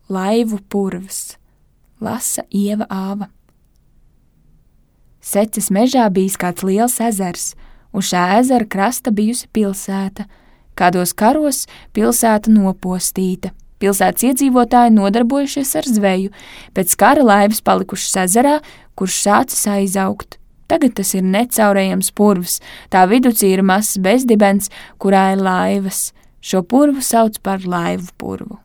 Laivu purvs, lasa Ieva Āva. Seces mežā bijis kāds liels ezers, un šā ezera krasta bijusi pilsēta. Kādos karos pilsēta nopostīta. Pilsētas iedzīvotāji nodarbojušies ar zveju, pēc kara laivas palikušas ezerā, kurš sācis aizaugt. Tagad tas ir necaurējams purvs, tā viducī ir mazs bezdibens, kurā ir laivas. Šo purvu sauc par laivu purvu.